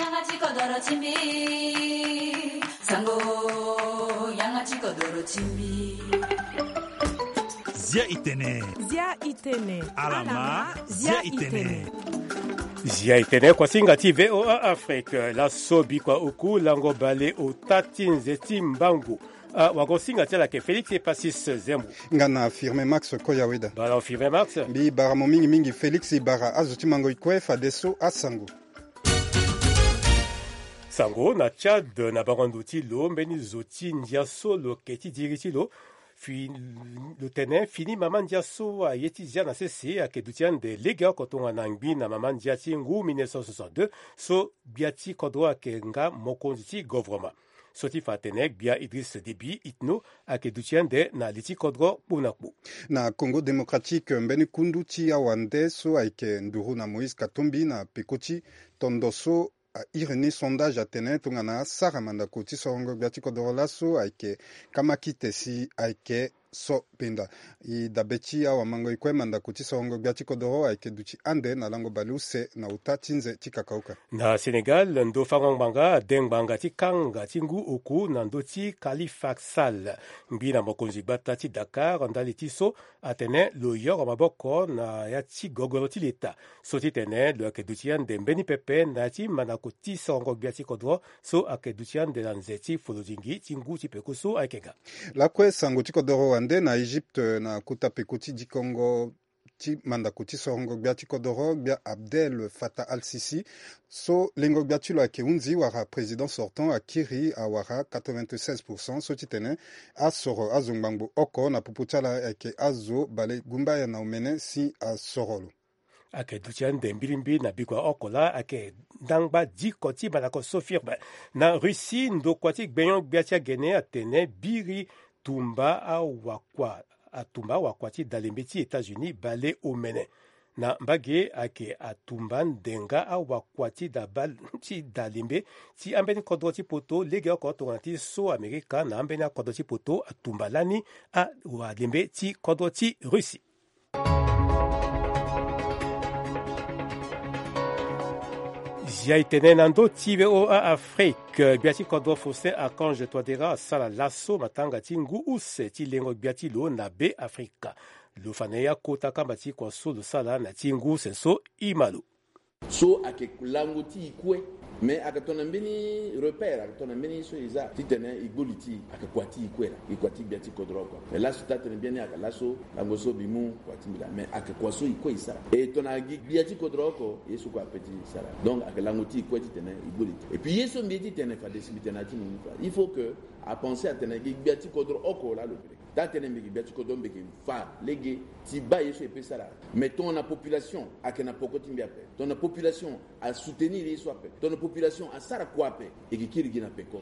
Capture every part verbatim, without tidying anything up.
Yanga ti kodoro ti mbi. Sango, yanga ti kodoro ti mbi. Zia itene. Zia itene. Alama, zia itene. Zia itene, kuasinga ti V O A Afrique, laso bikua oku lango bale ota ti nze ti mbangu. Ah, wagosinga ti ala ayeke Félix Epasis Zembo. Nga na Firmin Max Koyaweda. Bala Firmin Max. Mbi bara mo mingi mingi Félix, i bara azo ti mango i kue fadeso asango. Sango na Tchad, na bango ndo ti lo, mbeni zo ti ndia so lo yeke ti diri ti lo. Fi, lo tene fini mama ndia so aye ti zia na sese ayeke duti ande legeoko tongana ngbi na mama ndia ti ngu mille neuf cent soixante-deux, so gbia ti kodro ayeke nga mokonzi ti govoroma. So ti fa atene gbia Idriss Déby Itno ayeke duti ande na li ti kodro kpo na kpo. Na Congo Démocratique, mbeni kundu ti awande so ayeke nduru na Moïse Katumbi na peko ti tondo so a iri ni sondage atene tongana asara mandako ti sorongo gbia ti kodoro laso ayeke kamakite si ayeke so penda. I dabe ti awamango i kue mandako ti sorongo gbia ti kodoro ayeke duti ande na lango baleuse na ota ti nze ti kakaoka. Na Sénégal, ndo fango ngbanga ade ngbanga ti kanga ti ngu oku na ndö ti Khalifa Sall, ngbi na mokonzi gbata ti Dakar, ndali ti so atene lo yoro maboko na ya ti gogoro ti leta. So ti tene lo yeke duti ande mbeni pepe na ya ti mandako ti sorongo gbia ti kodro so ayeke duti ande na nze ti folodingi ti ngu ti peko so ayeke ga. Lakue sango ti kodoro wande na Egypte, na kota peko ti dikongo ti mandako ti sorongo gbia ti kodoro, gbia Abdel Fattah al-Sisi, so lengo gbia ti lo ayeke hunzi wala président sortant akiri awara quatre-vingt-seize pour cent, so ti tene asoro azo ngbangbo oko na popo ti ala ayeke azo bale gumbaya na omene si asoro lo. Ayeke duti ande mbirimbi na bikua oko laa ayeke ndangba diko ti mandako so firme. Na Russie, ndokua ti gbenyo-gbia ti agene atene biri tumba awakua, atumba awakua ti dalembe ti États-Unis bale omene. Na mbage ayeke atumba ndenga awakua ti da bal-, ti dalembe ti ambeni kodro ti poto legeoko tongana ti so Amerika na ambeni akodro ti poto atumba lani awalembe ti kodro ti Russie. Zia itene na ndö ti V O A Afrique, gbia ti kodro Faustin Archange Touadéra asara laso matanga ti ngu use ti lengo gbia ti lo na Be Afrika. Lo fa na ye akota kamba ti kua so lo sara na ti ngu use so. I ma lo. So ayeke lango ti e kue. Mais ayeke tongana mbeni repère, ayeke tongana mbeni so e za titene e gbu li ti e, ayeke kua ti e kue laa, e kua ti gbia ti kodro oko. Mais laso taa tene biani ayeke laso lango so mbi mu kua ti mbi laa, mais ayeke kua so e kue e sara. E tongana gi gbia ti kodro oko, ye so kue ape ti sara. Donc ayeke lango ti e kue titene e gbu li ti e. Et puis ye so mbi ye titene fade si mbi tene na ya ti mo mu kua, il faut que apenser atene gi gbia ti kodro oko laa lo pe lege. Taa tënë mbi yeke gbia ti kodro, mbi yeke fa lege ti baa ye so e pe sara. Mais tongana population ayeke na peko ti mbi ape, tongana population asoutenir ye so ape, tongana population asara kua ape, e yeke kiri gi na peko.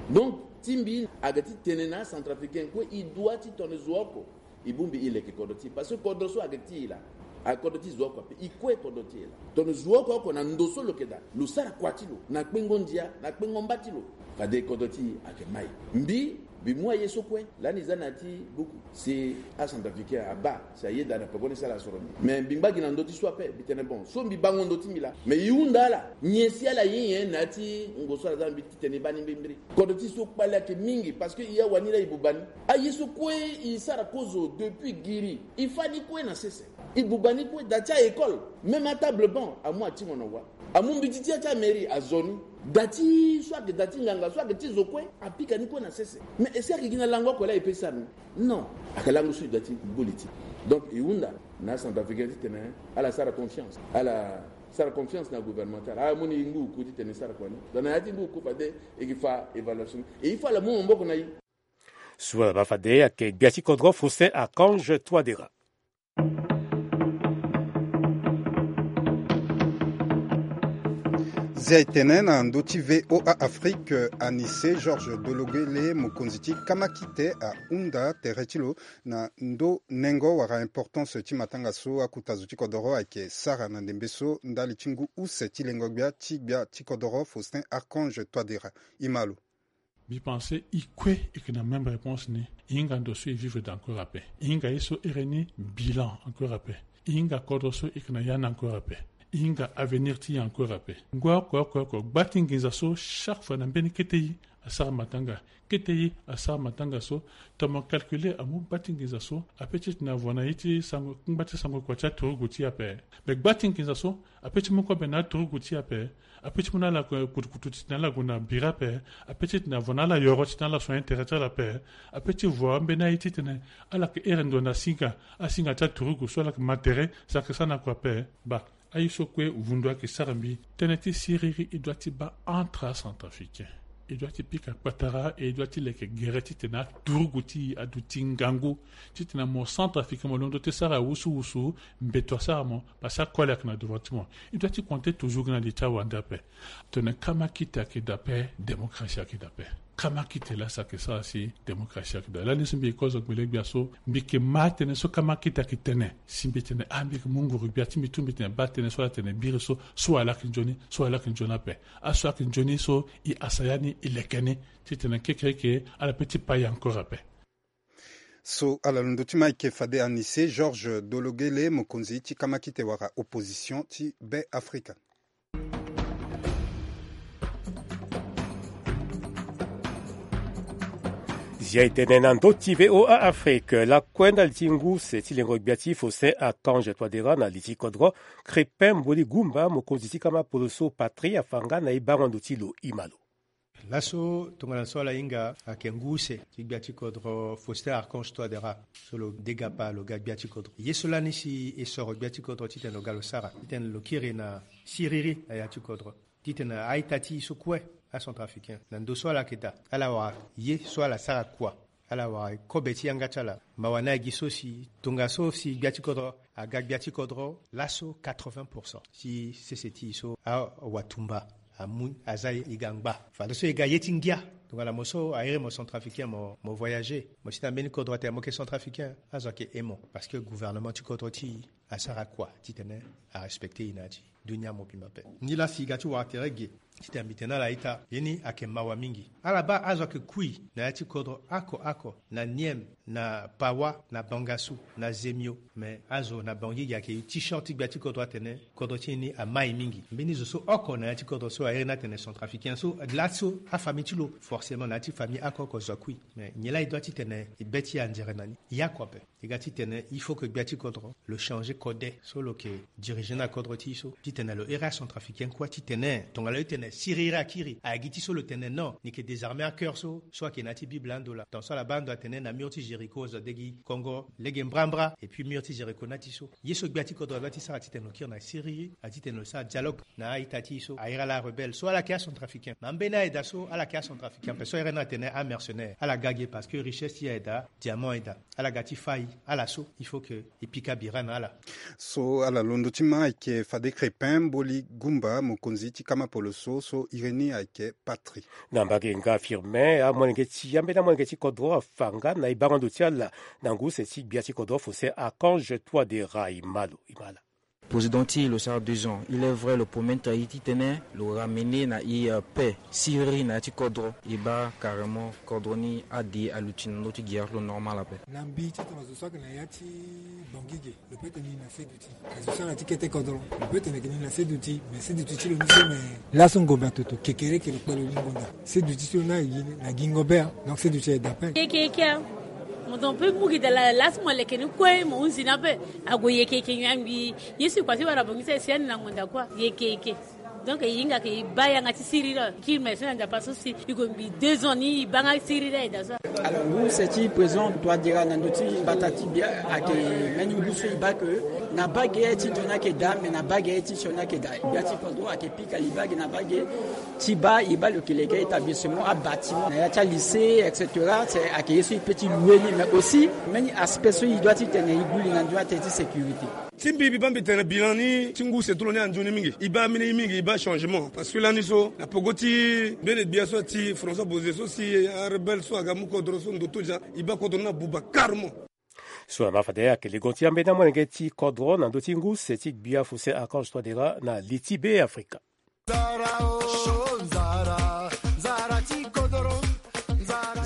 Donc ti mbi ayeke ti tene na acentrafricain kue, e doit ti tongana zo oko e bongbi e leke kodro ti e, parce que kodro so ayeke ti e laa, ayeke kodro ti zo oko ape, e kue kodro ti e laa. Tongana zo oko oko na ndo so lo yeke daa, lo sara kua ti lo na kpengo ndia, na kpengo mba ti lo, fade kodro ti e ayeke mai. Mbi Mbi mu aye so kue lani e za na ya ti buku si acentrafricain abaa si ayeda na peko ni si ala soro mbi. Mais mbi ngba gi na ndö ti so ape, mbi tene bon, so mbi bango ndö ti mbi laa, mais e hunda ala nyen si ala ye nyen na ya ti ngo so ala za na mbi titene e baa ni mbirimbiri. Kodro ti e so kpale ayeke mingi, parce que e awani laa e buba ni. Aye so kue e sara kozo depuis giri, e fâ ni kue na sese. E buba ni kue, da ti a-école, même atable banc amu atingo na wa. Amu mbeti ti ya ti amairie azo ni. Da ti so ayeke da ti nganga, so ayeke ti zo kue, apika ni kue na sese. Mais est-ce que ayeke gi na lango oko laa e pe sara ni? Non. Ayeke lango so e doit ti gbu li ti e. Donc e hunda na acentrafricain titene ala sara confiance, ala sara confiance na gouvernement ti ala, ala mu ni ngu oku titene e sara kua ni. Donc na ya ti ngu oku fade e yeke fa évaluation ni. Et il faut ala mu maboko na e. So ala baa fade ayeke gbia ti kodro Faustin Archange Touadéra. Zia e tene na ndö ti V O A Afrique, Anissé Georges Dologuélé, mokonzi ti kamakite, ahunda tere ti lo na ndö nengo wala importance ti matanga so akota zo ti kodoro ayeke sara na ndembe so ndali ti ngu use ti lengo gbia ti gbia ti kodoro Faustin Archange Touadéra. E ma lo. Mbi pense e kue e yeke na même réponse ni. E hinga ndo so e vivre daa encore ape. E hinga ye so ere ni bilan encore ape. E hinga kodro so e yeke na ya ni encore ape. E hinga avenir ti e encore ape. Ngoi oko oko oko, gba ti nginza so chaque fois na mbeni kete e asara matanga. Kete e asara matanga so, tongana mo calculer amu gba ti nginza so ape ti tene avo na ye ti sango, ngba ti sango kua ti aturugu ti e ape. Me gba ti nginza so ape ti mu kobe na aturugu ti e ape. Ape ti mu na ala kutukutu ti tene ala gue na bira ape. Ape ti tene avo na ala yoro ti tene ala soigner tere ti ala ape. Ape ti vo ambeni aye ti tene ala yeke here ndo na singa, asinga ti aturugu so ala yeke ma tere, si ayeke sara na kua ape. Ba, aye so kue vundu ayeke sara mbi. Tënë ti siriri e doit ti baa entre acentrafricain. E doit ti pika kpatara, e doit ti leke gere ti tene aturugu ti e aduti ngangu ti tene mo centrafricain mo londo ti sara wusuwusu, mbeto asara mo, parce que akoli ayeke na devant ti mo. E doit ti compter toujours gi na li ti awande ape. Tene kamakite ayeke daa ape, démocratie ayeke daa ape. Kamakite laa si ayeke sara si démocratie ayeke daa. Lani so mbi yeke kozo gbele-gbia so, mbi yeke ma tënë so kamakite ayeke tene. Si mbi tene, ah, mbi yeke mu nguru-gbia ti mbi tu, mbi tene baa tënë so ala tene biri so, so ala yeke nzoni, so ala yeke nzoni ape. Aso ayeke nzoni so, e asaya ni, e leke ni ti tene kekereke ala pe ti pai encore ape. So ala londo ti ma ayeke fade Anise Georges Dologele, mokonzi ti kamakite wala opposition ti Be Afrika. Zia e tene na ndö ti V O A Afrique, lakue ndali ti ngu se ti lengo gbia ti Faustin Archange Touadéra na li ti kodro, Crépin Mboli Goumba, mokonzi ti kama poloso Patrie, afa nga na e bango ndo ti lo. E ma lo. Laso tongana so ala hinga ayeke ngu use ti gbia ti kodro Faustin Archange Touadéra, so lo degapa lo ga gbia ti kodro. Ye so lani si e soro gbia ti kodro titene lo ga lo sara, titene lo kiri na siriri na ya ti kodro, titene a-ita ti e so kue, acentrafricain, na ndö so ala yeke daa, ala wara ye so ala sara kua. Ala wara kobe ti yanga ti ala. Mawa ni agi so si tongaso si gbia ti kodro aga gbia ti kodro laso quatre-vingts pour cent ti sese ti e so awatumba amu aza e ga ngba. Fadeso e ga ye ti ngia. Tongana mo so a iri mo centrafricain, mo, mo voyager, mo si na mbeni kodro atene mo yeke centrafricain, azo ayeke he mo, parce que gouvernement ti kodro ti e asara kua titene arespecter e na ya ti dunia mobimba ape. Nilaa si e ga ti wara tere ge titene mbi tene na ala ita, ye ni ayeke mawa mingi. Ala baa azo ayeke kui na ya ti kodro oko oko, na Niem, na Pawa, na Bangassou, na Zemio. Me azo na Bangui ge ayeke ti short ti gbia ti kodro atene kodro ti e ni amai mingi. Mbeni zo so oko na ya ti kodro so a iri ni atene centrafricain so, laso afamille ti lo, forcément na ya ti famille oko oko zo akui. Me nyen laa e doit titene e be ti e anzere na ni? E oko ape. E ga titene il faut que gbia ti kodro lo changer kode so lo yeke diriger na kodro ti e so, titene lo iri acentrafricain kue titene tongana lo tene siriri akiri, a gi ti so lo tene non, ni yeke désarmer acœur so, so ayeke na ya ti Bible ando laa. Tant so ala baa ando atene na mur ti Jéricho azo adegi kongo lege mbrambra, et puis mur ti Jéricho na ti so. Ye so gbia ti kodro a doit ti sara titene lo kiri na siriri, a titene lo sara dialogue na a-ita ti e so a iri ala arebelle so ala yeke acentrafricain. Na ambeni aye daa so ala yeke acentrafricain ape, so a iri ni atene amercenaire. Ala ga ge parce que richesse ti e aye daa, diamant aye daa. Ala ga ti fâ e, ala so il faut que e pika bira na ala. So ala londo ti ma ayeke fade Crépin Mboli Goumba, mokonzi ti kama poloso, so iri ni ayeke Patrie. Na mbage nga Firmin, amolenge ti ambeni amolenge ti kodro afa nga na e bango ndo ti ala na ngu use ti gbia ti kodro Faustin Archange Touadéra. E ma lo, e ma ala. Président ti e lo sara deux ans. Il est vrai, lo promettre e titene lo ramener na e, euh, paix, siriri na ya ti kodro. E baa carrément kodro ni ade aluti na ndö ti guerre, lo normal ape. Na mbi titene zo so ayeke na ya ti Bangui ge, lo peut tene ni na seduti. Azo so ala ti kete kodro, lo peut tene yeke ni na seduti. Mais seduti ti lo ni so, mais laso ngombe atoto kekereke lo kpe lo ni ngonda. Seduti ti lo ni aye gi ni na gingo be, ah. Donc seduti aye daa ape. Kekeke, ah. Mo don pe mu gi daa laa, laso mo leke ni kue, mo hunzi ni ape. Ague yeke yeke nyangbi. Ye so e kua ti wara bongbi so e si ani na ngonda kua. Yeke yeke. Donc e hinga ke e baa yanga ti siriri. Kiri me so na Nzapa so si e gue mbi deux ans ni e baa nga siriri aye daa so. Alors ngu use ti président Touadéra na ndö ti mbata ti gbia ayeke mbeni ngu so e baa ke na baa ge ti ndo ni ayeke daa, me na baa ge ti sioni ayeke daa. Gbia ti kodro ayeke pika li baa ge na baa ge ti baa e baa lo yeke leke établissement, abâtiment na ya ti alycée, et cetera. C'est ayeke ye so e peut ti louer ni, mais aussi mbeni aspect so e doit titene e gue li na ndö ni atene ti sécurité. Ti mbi, mbi baa mbi tene bilan ni ti ngu use ti lo ni anzoni mingi. E baa ambeni ye mingi, e baa changement. Parce que lani so na peko ti mbeni gbia so ti François Bozé so si arebelle so aga mu kodro so ndoto dia, e baa kodro ni abuba carrément. So na ma fade ayeke lengo ti ambeni amolenge ti kodro na ndö ti ngu use ti gbia Faustin Archange Touadéra na li ti Be Afrika.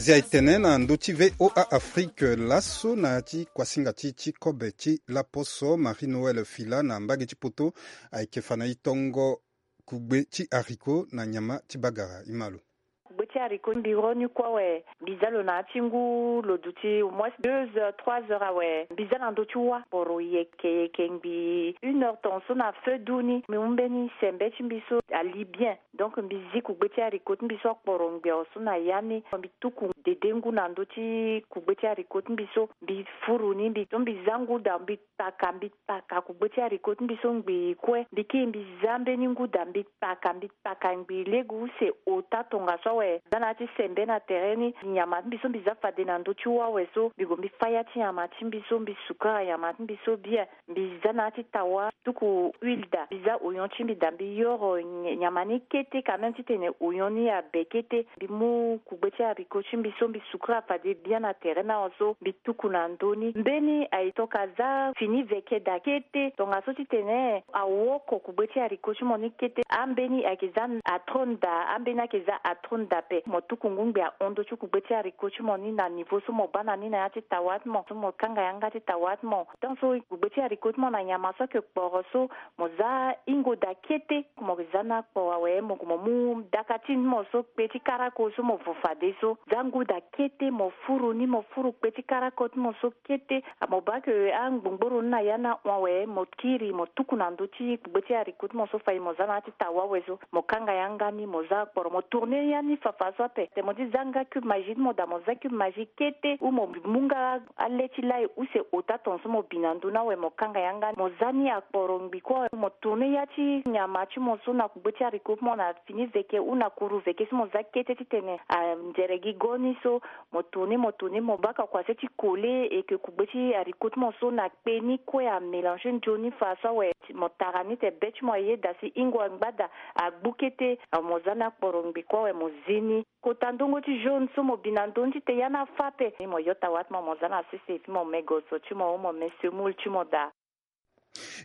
Zia etene na ndö ti VOA Afrique laso na ya ti kuasinga ti ti kobe ti laposo, Marie Noël Fila na mbage ti poto ayeke fa na e tongo kugbe ti haricot na nyama ti bagara. Imalo. Kugbe ti haricot mbi ro ni kue awe, mbi za lo na ya ti ngu lo duti au moins deux heures, trois heures awe, mbi za na ndö ti wâ kporo yeke yeke ngbii une heure tongaso na feu du ni, mbi mu mbeni sembe ti mbi so ali bien. Donc mbi zi kugbe ti haricot ti mbi so akporo ngbii awe so na ya ni, mbi tuku dede ngu na ndö ti kugbe ti haricot ti mbi so, mbi furu ni, mbi so mbi za ngu daa, mbi paka, mbi paka kugbe ti haricot ti mbi so ngbii kue. Mbi kiri mbi za mbeni ngu daa, mbi paka, mbi paka ngbii lege use ota tongaso awe. Za na ya ti sembe na tere ni, nyama ti mbi so mbi za fade na ndö ti wâ awe so, mbi gue mbi fâ ya ti nyama ti mbi so, mbi sukara nyama ti mbi so bien. Mbi za na ya ti tawa, tuku huile daa, mbi za oignon ti mbi daa, mbi yoro ny-, nyama ni kete quand même titene oignon ni abe kete. Mbi mu kugbe ti haricot ti mbi so, mbi sukura fade bien na tere ni awe so, mbi tuku na ndö ni. Mbeni aye tongana aza fini veke daa kete, tongaso titene awoko kugbe ti haricot ti mo ni kete. Ambeni ayeke za atron daa, ambeni ayeke za atron daa ape. Mo tuku ngu ngbii ahon ndö ti kugbe ti haricot ti mo ni na niveau so mo bâ na ni na ya ti tawa ti mo, so mo kanga yanga ti tawa ti mo. Tant so kugbe ti haricot ti mo na nyama so ayeke kporo so, mo za hingo daa kete. Mo za ni akporo awe, mo gue mo mu daka ti mo so kpe ti karako so mo vo fade so. Za ngu daa kete, mo furu ni, mo furu kpe ti karako ti mo so kete. Mo bâ ke angbongboro ni na ya ni ahon awe, mo kiri mo tuku na ndö ti kugbe ti haricot ti mo so fade mo za na ya ti tawa awe so. Mo kanga yanga ni, mo za akporo, mo tourner ya ni fafa so ape. Titene mo ti za nga cube Maggi ti mo daa, mo za cube Maggi kete, ou mo mu nga ale ti lai use ota tongaso mo bi na ndö ni awe, mo kanga yanga ni, mo za ni akporo ngbii kue awe, mo tourner ya ti nyama ti mo so na kugbe ti haricot ti mo na fini veke ou na kuru veke so mo za kete titene anzere gi go ni so, mo tourner, mo tourner, mo bâ ka kua se ti coller, et que kugbe ti haricot ti mo so na kpe ni kue amélanger nzoni faso awe. Mo tara ni titene be ti mo ayeda si hingo angba daa, agbu kete, mo za ni akporo ngbii kue awe, mo zi ni. Kota ndongo ti jaune so mo bi na ndö ni titene ya ni afâ ape. Ni mo yota wâ ti mo, mo za na sese, puis mo me goso ti mo, ou mo me semoule ti mo daa.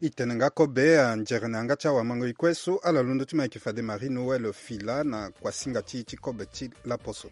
E tene nga kobe, anzere na yanga ti awamango-e kue so ala londo ti mo ayeke fade Marie Noël Fila na kuasinga ti e ti kobe ti laposo.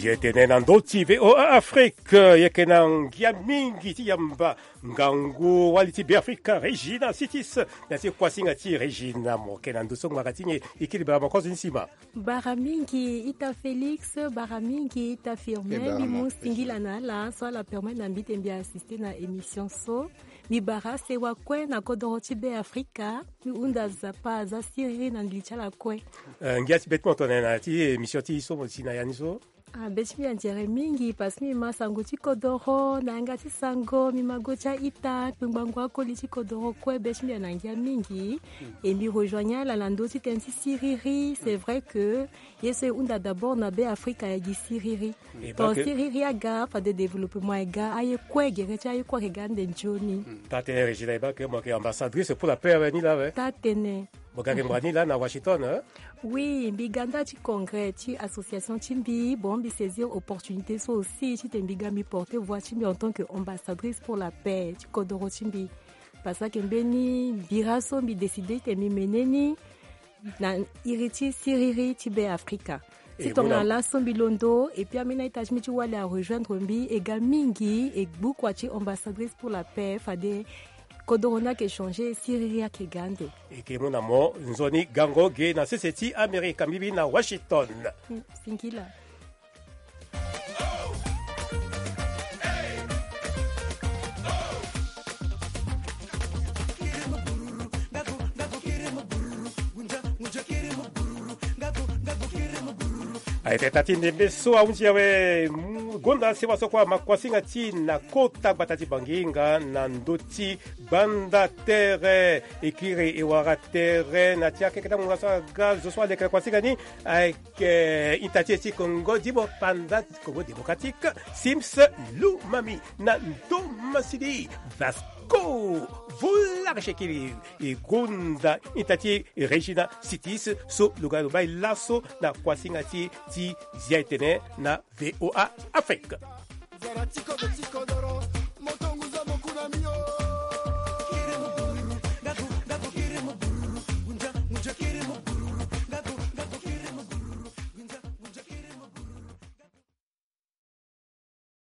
E tene na ndö ti VOA Afrique, e yeke na ngia mingi ti yamba ngangu wali ti Beafrika Regina Sitis na ti kuasinga ti Regina. Mo yeke na ndö so ngbanga ti nyen? E kiri bara mo kozo ni si ma. Bara mingi ita Félix, bara mingi ita Firmin. Mbi mu singila na ala so ala permettre na mbi titene mbi assister na émission so. Mbi bara sewa kue na kodoro ti Beafrika. Mbi hunda Nzapa aza siriri na ngili ti ala kue. Eh, ngia ti be ti mo tongana na ya ti émission ti e so mo si na ya ni so. Ah, be ti mbi anzere mingi parce que mbi ma sango ti kodoro na yanga ti sango, mbi ma go ti a-ita kpengbango akoli ti kodoro kue. Be ti mbi ana ngia mingi. E mbi rejoigne ala na ndö ti tënë ti siriri. C'est vrai que ye so e hunda d'abord na Beafrika ayeke gi siriri. Tongana siriri aga, fade développement aga, aye kue, gere ti aye kue ayeke ga ande nzoni. Taa-tënë Regina, e baa ke mo yeke ambassadrice pour la paix awe ni laa awe. Taa-tënë. Mo ga yeke ngbanga ni laa na Washington, hein? Oui, mbi ga nda ti congrès ti association ti mbi. Bon, mbi saisir opportunité so aussi titene mbi ga mbi porter voix ti mbi en tant que ambassadrice pour la paix ti kodoro ti mbi. Parce que mbeni bira so mbi décider titene mbi mene ni na iri ti siriri ti Beafrika. Si tongana laso mbi londo, et puis ambeni a-ita ti mbi ti wali arejoindre mbi, e ga mingi, e gbu kua ti ambassadrice pour la paix, fade kodoro ni ayeke changer, siriri ayeke ga ande. E yeke mu na mo nzoni gango ge na sese ti Amerika, mbi bi na Washington. Mm, singila. Ayeke taa ti ndembe so ahunzi awe, mm, gonda sewa so kue ama kuasinga ti e na kota gbata ti Bangi nga na ndö ti gbanda tere. E kiri e wara tere na ti akeke ti angbonga so aga zo so aleke na kuasinga ni. Ayeke ita ti e ti Kongo, di mo panda Congo Démocratique, Sims Lumami na ndo masidi Vasco. Volare shekiri e gonda ita ti Regina Sitis so lo ga lo bai laso na kuasinga ti e ti zia etene na VOA Afrique.